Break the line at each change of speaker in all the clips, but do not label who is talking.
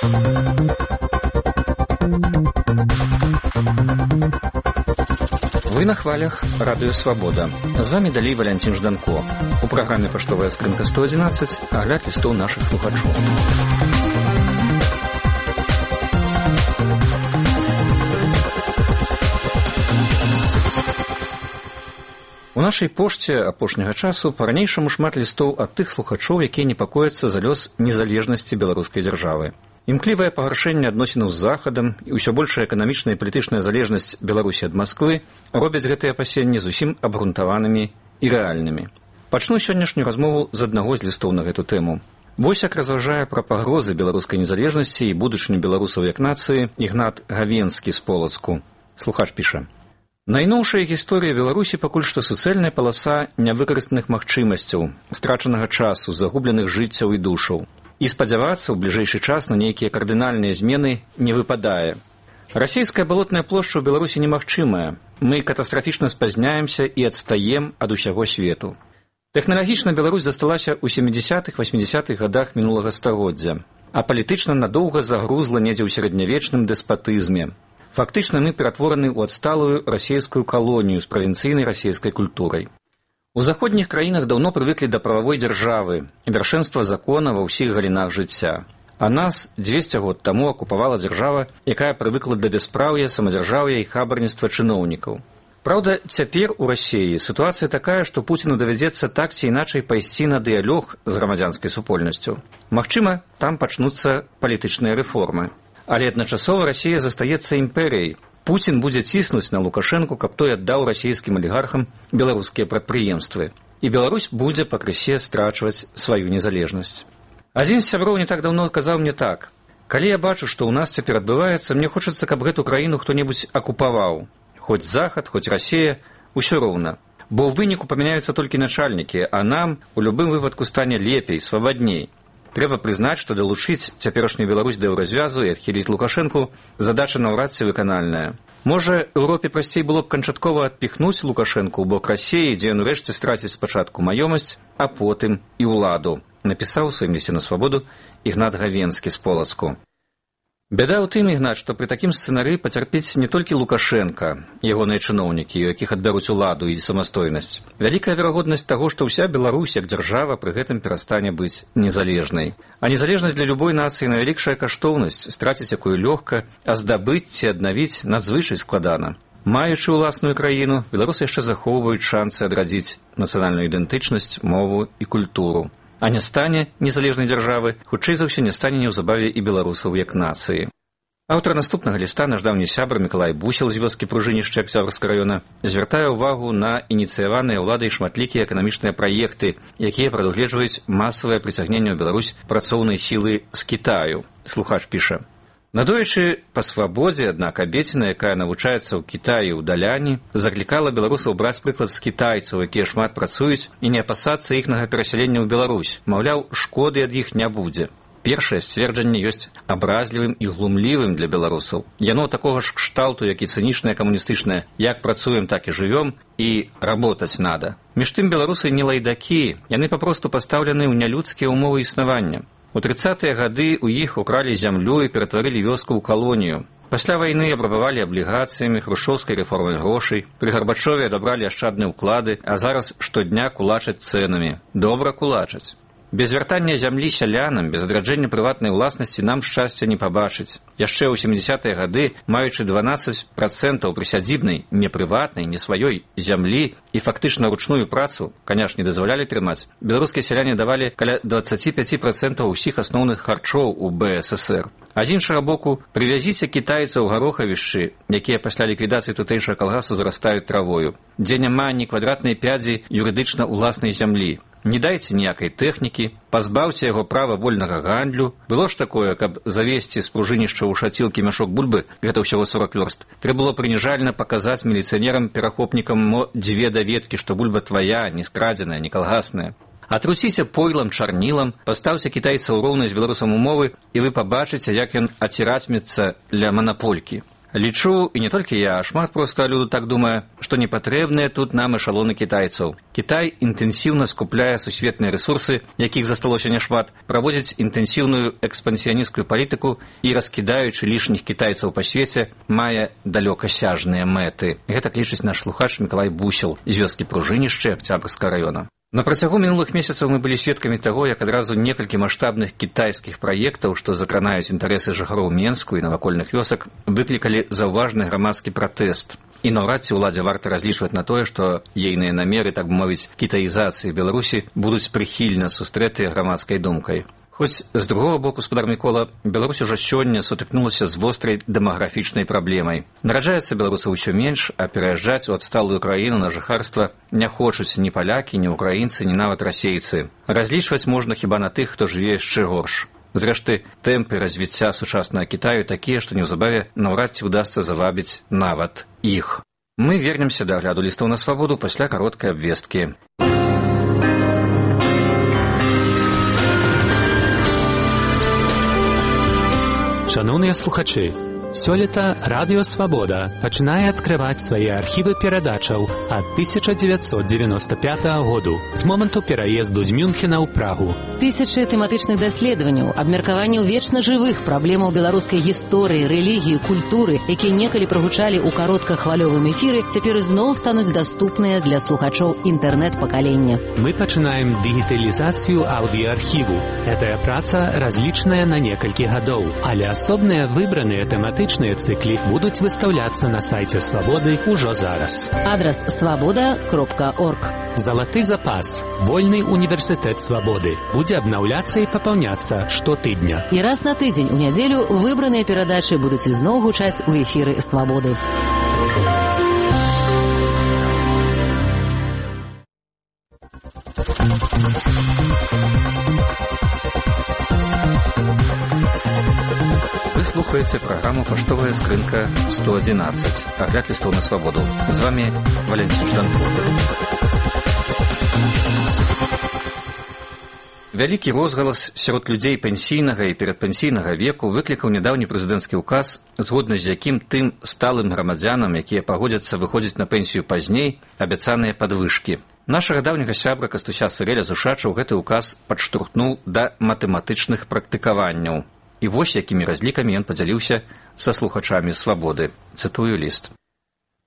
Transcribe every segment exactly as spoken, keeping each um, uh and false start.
Вы на хвалях Радио Свобода. З вами далей Валянцін Жданко. У праграме «Паштовая скрынка сто одиннадцать» агляд лістоў нашых слухачоў. У нашай пошце апошняга часу па-ранейшаму шмат лістоў ад тых слухачоў, якія непакояцца за лёс незалежнасці беларускай дзяржавы. Імклівае пагаршэнне адносінаў з Захадам і ўсё большая эканамічная і палітычная залежнасць Беларусі ад Масквы робяць гэтыя апасенні зусім абгрунтаванымі і рэальнымі. Пачну сённяшнюю размову з аднаго з лістоў на гэту тэму. Вось як разважае пра пагрозы беларускай незалежнасці і будучыню беларусаў як нацыі Ігнат Гавенскі з Полацку. Слухач піша: Найноўшая гісторыя Беларусі пакуль што суцэльная паласа нявыкарыстаных магчымасцяў, страчанага часу, загубленых жыццяў і душаў. І спадзявацца ў бліжэйшы час на нейкія кардынальныя змены не выпадае. Расійская балотная плошча ў Беларусі немагчымая. Мы катастрафічна спазняемся і адстаем ад усяго свету. Тэхналагічна Беларусь засталася ў сямідзясятых-васьмідзясятых гадах мінулага стагоддзя, а палітычна надоўга загрузла недзе ў сярэднявечным дэспатызме. Фактычна мы ператвораны ў адсталую расійскую калонію з правінцыйнай расійскай культурай. У заходніх краінах даўно прывыклі да прававой дзяржавы, вяршэнства закона ва ўсіх галінах жыцця. А нас дзвесце год таму акупавала дзяржава, якая прывыкла да бяспраўя, самадзяржаўя і хабарніцтва чыноўнікаў. Праўда, цяпер у Расіі сітуацыя такая, што Пуціну давядзецца так ці іначай пайсці на дыялог з грамадзянскай супольнасцю. Магчыма, там пачнуцца палітычныя рэформы. Але адначасова Расія застаецца імперыяй. Пуцін будзе ціснуць на Лукашэнку, каб той аддаў расійскім алігархам беларускія прадпрыемствы. І Беларусь будзе пакрысе страчваць сваю незалежнасць. Адзін з сяброў не так даўно казаў мне так: «Калі я бачу, што ў нас цяпер адбываецца, мне хочацца, каб гэту краіну хто-небудзь акупаваў. Хоць Захад, хоць Расія, усё роўна. Бо ў выніку памяняюцца толькі начальнікі, а нам у любым выпадку стане лепей, свабадней. Трэба прызнаць, што далучыць цяперашнюю Беларусь да еўразвязу і адхіліць Лукашэнку задача наўрад ці выканальная. Можа, Еўропе прасцей было б канчаткова адпіхнуць Лукашэнку ў бок Расіі, дзе ён урэшце страціць спачатку маёмасць, а потым і ўладу», напісаў у сваім лісце на Свабоду Ігнат Гавенскі з Полацку. Бяда ў тым, Ігнат, што пры такім сцэнарыі пацярпіць не толькі Лукашэнка, ягоныя чыноўнікі, у якіх адбяруць уладу і самастойнасць. Вялікая верагоднасць таго, што ўся Беларусь як дзяржава пры гэтым перастане быць незалежнай. А незалежнасць для любой нацыі найвялікшая каштоўнасць, страціць якую лёгка, а здабыць ці аднавіць надзвычай складана. Маючы ўласную краіну, беларусы яшчэ захоўваюць шанцы адрадзіць нацыянальную ідэнтычнасць, мову і культуру. А не стане незалежнай дзяржавы, хутчэй за ўсё не стане неўзабаве і беларусаў як нацыі. Аўтар наступнага ліста, наш даўні сябар Мікалай Бусел з вёскі Пружынішча Акцёбрскага раёна, звяртае ўвагу на ініцыяваныя ўладай шматлікія эканамічныя праекты, якія прадугледжваюць масавае прыцягненне ў Беларусь працоўнай сілы з Кітаю. Слухач піша: «Надоечы па свабодзе, аднак абеціна, якая навучаецца ў Кітаі ў Даляні, заклікала беларусаў браць прыклад з кітайцаў, якія шмат працуюць, і не апасацца іхнага перасялення ў Беларусь. Маўляў, шкоды ад іх не будзе. Першае сцверджанне ёсць абразлівым і глумлівым для беларусаў. Яно такога ж кшталту, як і цынічнае камуністычнае «як працуем, так і жывём» і «работаць надо». Між тым беларусы не лайдакі, яны папросту пастаўлены ў нялюдскія ўмовы існавання. У трыццатыя гады ў іх укралі зямлю і ператварылі вёску ў калонію. Пасля вайны абрабавалі аблігацыямі, хрушчоўскай рэформай грошай, пры Гарбачове адабралі ашчадныя ўклады, а зараз штодня кулачаць цэнамі. Добра кулачаць. Без вяртання зямлі сялянам, без адраджэння прыватнай уласнасці нам шчасця не пабачыць. Яшчэ ў сямідзясятыя гады, маючы дванаццаць працэнтаў прысядзібнай, не прыватнай, не сваёй зямлі і фактычна ручную працу, канешне, дазвалялі трымаць, беларускія сяляне давалі каля дваццаць пяць працэнтаў усіх асноўных харчоў у бэ эс эсэр. А з іншага боку, прывязіце кітайцаў гарохавішчы, якія пасля ліквідацыі тутэйшага калгасу зарастаюць травою, дзе няма ні квадратнай пядзі юрыдычна ўласнай зямлі. Не дайце ніякай тэхнікі, пазбаўце яго права вольнага гандлю. Было ж такое, каб завесці з пружынішча ў шацілкі мяшок бульбы, гэта ўсяго сорок вёрст, трэба было прыніжальна паказаць міліцыянерам-перахопнікам мо дзве даведкі, што бульба твая, не скрадзеная, не калгасная. Атруціце пойлам, чарнілам, пастаўце кітайца ў роўнай з беларусам умовы, і вы пабачыце, як ён ацірацьмецца ля манаполькі. Лічу, і не толькі я, а шмат проста люду так думае, што не патрэбныя тут нам эшалоны кітайцаў. Кітай інтэнсіўна скупляе сусветныя рэсурсы, якіх засталося няшмат, праводзіць інтэнсіўную экспансіянісцкую палітыку і, раскідаючы лішніх кітайцаў па свеце, мае далёкасяжныя мэты. Гэтак лічыць наш слухач Мікалай Бусел з вёскі Пружынішча Акцябрскага раёна. На працягу мінулых месяцаў мы былі сведкамі таго, як адразу некалькі маштабных кітайскіх праектаў, што закранаюць інтарэсы жыхароў Менску і навакольных вёсак, выклікалі заўважны грамадскі пратэст. І наўрад ці ўладзе варта разлічваць на тое, што ейныя намеры, так бы мовіць, кітаізацыі Беларусі будуць прыхільна сустрэтыя грамадскай думкай. Хоць, з другого боку, спадар Мікола, Беларусь ужо сёння сутыкнулася з вострай дэмаграфічнай праблемай. Нараджаецца беларусаў усё менш, а пераязджаць у адсталую краіну на жыхарства не хочуць ні палякі, ні ўкраінцы, ні нават расейцы. Разлічваць можна хіба на тых, хто жыве яшчэ горш. Зрэшты, тэмпы развіцця сучаснага Кітаю такія, што неўзабаве наўрад ці ўдасца завабіць нават іх. Мы вернемся да агляду лістоў на свабоду пасля кароткай абвесткі.
Шановныя слухачы, сёлета Радыё Свабода пачынае адкрываць свае архівы перадачаў ад тысяча дзевяцьсот дзевяноста пятага году, з моманту пераезду з Мюнхена ў Прагу.
Тысячы тэматычных даследаванняў, абмеркаванняў вечна жывых праблемаў беларускай гісторыі, рэлігіі, культуры, якія некалі прагучалі ў кароткахвалёвым эфіры, цяпер ізноў стануць даступныя для слухачоў інтэрнэт-пакалення.
Мы пачынаем дыгіталізацыю аўдыаархіву. Гэтая праца разлічаная на некалькі гадоў, але асобныя выбраныя тэматычныя цыклі будуць выстаўляцца на сайце Свабоды ўжо зараз.
Адрас свабода кропка орг.
Залаты запас. Вольны універсітэт Свабоды. Будзе абнаўляцца і папаўняцца штотыдня.
І раз на тыдзень у нядзелю выбраныя перадачы будуць ізноў гучаць у эфіры Свабоды.
Вы слухаеце праграму «Паштовая скрынка сто одиннадцать». Агляд лістоў на свабоду. З вами Валентин Жданков. Вялікі розгалас сярод людзей пенсійнага і перадпенсійнага веку выклікаў нядаўні прэзідэнцкі ўказ, згодна з якім тым сталым грамадзянам, якія пагодзяцца выходзіць на пенсію пазней, абяцаныя падвышкі. Нашага даўняга сябра Кастуся Сырэля з Ушачаў гэты ўказ падштурхнуў да матэматычных практыкаванняў. І вось якімі разлікамі ён падзяліўся са слухачамі Свабоды. Цытую ліст.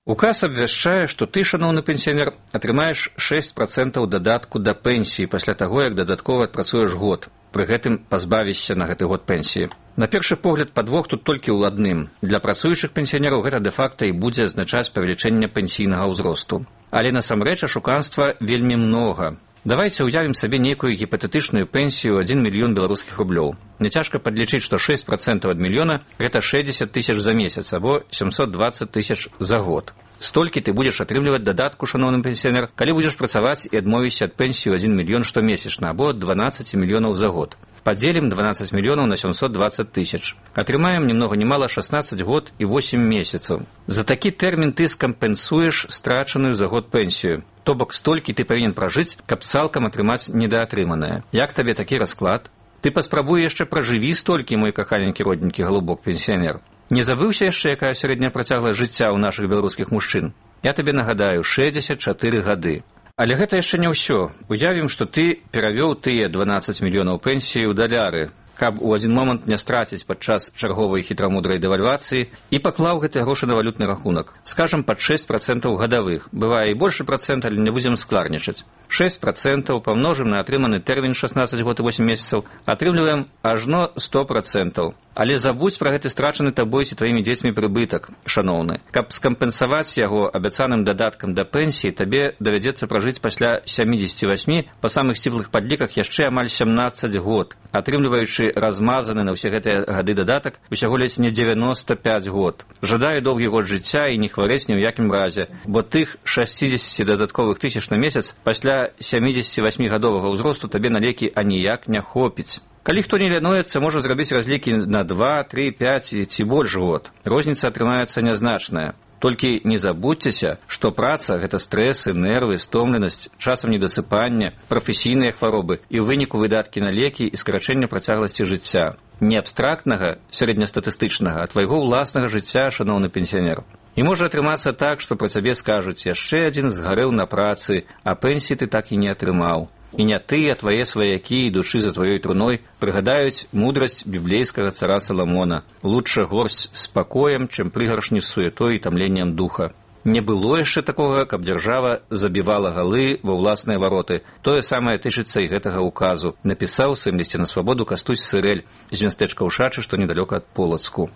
Указ абвяшчае, што ты, шаноўны пенсіянер, атрымаеш шэсць працэнтаў дадатку да пенсіі пасля таго, як дадаткова адпрацуеш год, пры гэтым пазбавішся на гэты год пенсіі. На першы погляд, падвох тут толькі ў адным. Для працуючых пенсіянераў гэта дэ-факта і будзе азначаць павелічэнне пенсійнага ўзросту. Але насамрэч ашуканства вельмі многа. Давайце ўявім сабе нейкую гіпатэтычную пенсію адзін мільён беларускіх рублёў. Няцяжка падлічыць, што шэсць працэнтаў ад мільёна – гэта шэсцьдзесят тысяч за месяц, або сямсот дваццаць тысяч за год. Столькі ты будзеш атрымліваць дадатку, шаноўны пенсіянер, калі будзеш працаваць і адмовішся ад пенсію адзін мільён штомесячна, або ад дванаццаць мільёнаў за год. Падзелім дванаццаць мільёнаў на сямсот дваццаць тысяч. Атрымаем ні многа ні мала шаснаццаць год і восем месяцаў. За такі тэрмін ты скампенсуеш страчаную за год пенсію. То бок столькі ты павінен пражыць, каб цалкам атрымаць недаатрыманае. Як табе такі расклад? Ты паспрабуй яшчэ пражыві столькі, мой каханенькі родненькі галубок пенсіянер. Не забыўся яшчэ, якая сярэдняя працягласць жыцця ў нашых беларускіх мужчын? Я табе нагадаю, шэсцьдзесят чатыры гады. Але гэта яшчэ не ўсё. Уявім, што ты перавёў тыя дванаццаць мільёнаў пенсіі ў даляры, каб у адзін момант не страціць падчас чарговай хітрамудрай дэвальвацыі і паклаў гэтыя грошы на валютны рахунак. Скажам, пад шэсць працэнтаў гадавых. Бывае і большы працэнт, але не будзем складнічаць. шэсць працэнтаў памножым на атрыманы тэрмін шаснаццаць год і восем месяцаў, атрымліваем ажно сто працэнтаў. Але забудзь пра гэты страчаны табой ці тваімі дзецьмі прыбытак, шаноўны. Каб скампенсаваць яго абяцаным дадаткам да пенсіі, табе давядзецца пражыць пасля сямідзесяці васьмі па самых сціплых падліках яшчэ амаль сямнаццаць год, атрымліваючы размазаны на ўсе гэтыя гады дадатак усяго ледзь не дзевяноста пяць год. Жадаю доўгі год жыцця і не хварэць ні ў якім разе, бо тых шасцідзесяці дадатковых тысяч на месяц пасля сямідзесяці васьмігадовага ўзросту табе на лекі аніяк не хопіць. Калі хто не лянуецца, можа зрабіць разлікі на два, тры, пяць ці больш год. Розніца атрымаецца нязначная. Толькі не забудзьцеся, што праца – гэта стрэсы, нервы, стомленасць, часам недасыпання, прафесійныя хваробы і ў выніку выдаткі на лекі і скарачэнне працягласці жыцця. Не абстрактнага, сярэднестатыстычнага, а твайго ўласнага жыцця, шаноўны пенсіянер. І можа атрымацца так, што пра цябе скажуць: яшчэ адзін згарэў на працы, а пенсіі ты так і не атрымаў. І не ты, а твае сваякі, ідучы за тваёй труной, прыгадаюць мудрасць біблейскага цара Саламона: лучше горсць з спакоем, чым прыгаршні з суетой і тамленнем духа. Не было яшчэ такога, каб дзяржава забівала галы ва ўласныя вароты. Тое самае тычыцца і гэтага указу, напісаў у сваім лісце на свабоду Кастусь Сырэль з мястэчка Ушачы, што недалёка ад Полацку.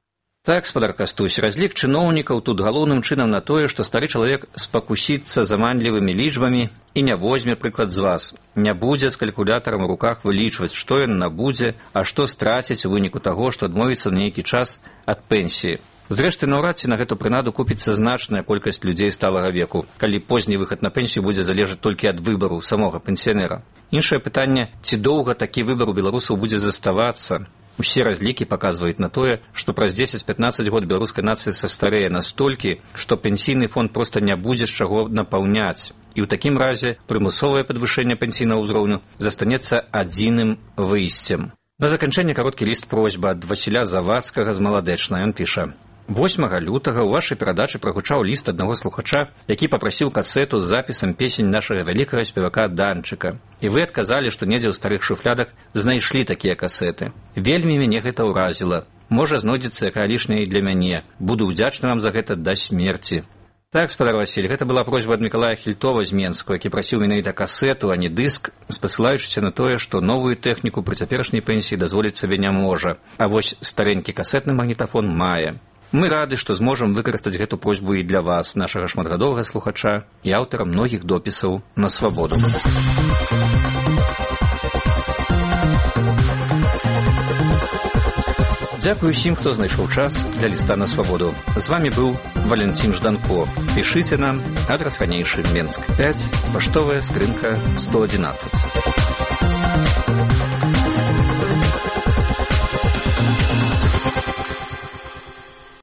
Так, спадар Кастусь, разлік чыноўнікаў тут галоўным чынам на тое, што стары чалавек спакусіцца заманлівымі лічбамі і не возьме прыклад з вас. Не будзе з калькулятарам у руках вылічваць, што ён набудзе, а што страціць у выніку таго, што адмовіцца на нейкі час ад пенсіі. Зрэшты, наўрад ці на гэту прынаду купіцца значная колькасць людзей сталага веку, калі позні выхад на пенсію будзе залежаць толькі ад выбару самога пенсіянера. Іншае пытанне, ці доўга такі выбар у беларусаў будзе заставацца. Усе разлікі паказваюць на тое, што праз дзесяць-пятнаццаць год беларускай нацыі састарэе настолькі, што пенсійны фонд проста не будзе з чаго напаўняць. І ў такім разе прымусовае падвышэнне пенсійнага ўзроўню застанецца адзіным выйсцем. На заканчэнне кароткі ліст просьба ад Васіля Завадскага з Маладэчна. Ён піша: восьмага лютага ў вашай перадачы прагучаў ліст аднаго слухача, які папрасіў касету з запісам песень нашага вялікага спевака Данчыка. І вы адказалі, што недзе ў старых шуфлядах знайшлі такія касеты. Вельмі мяне гэта ўразіла. Можа, знойдзецца якая лішняя і для мяне. Буду ўдзячны вам за гэта да смерці. Так, спадар Васіль, гэта была просьба ад Мікалая Хільтова з Менску, які прасіў менавіта касету, а не дыск, спасылаючыся на тое, што новую тэхніку пры цяперашняй пенсіі дазволіць сабе не можа. А вось старэнькі касетны магнітафон мае. Мы рады, што зможам выкарыстаць гэту просьбу і для вас, нашага шматгадовага слухача і аўтара многіх допісаў на свабоду. Дзякую усім, хто знайшоў час для ліста на свабоду. З вамі быў Валентин Жданко. Пішыце нам, адрас ранейшы, Менск пяць, паштовая скрынка сто адзінаццаць.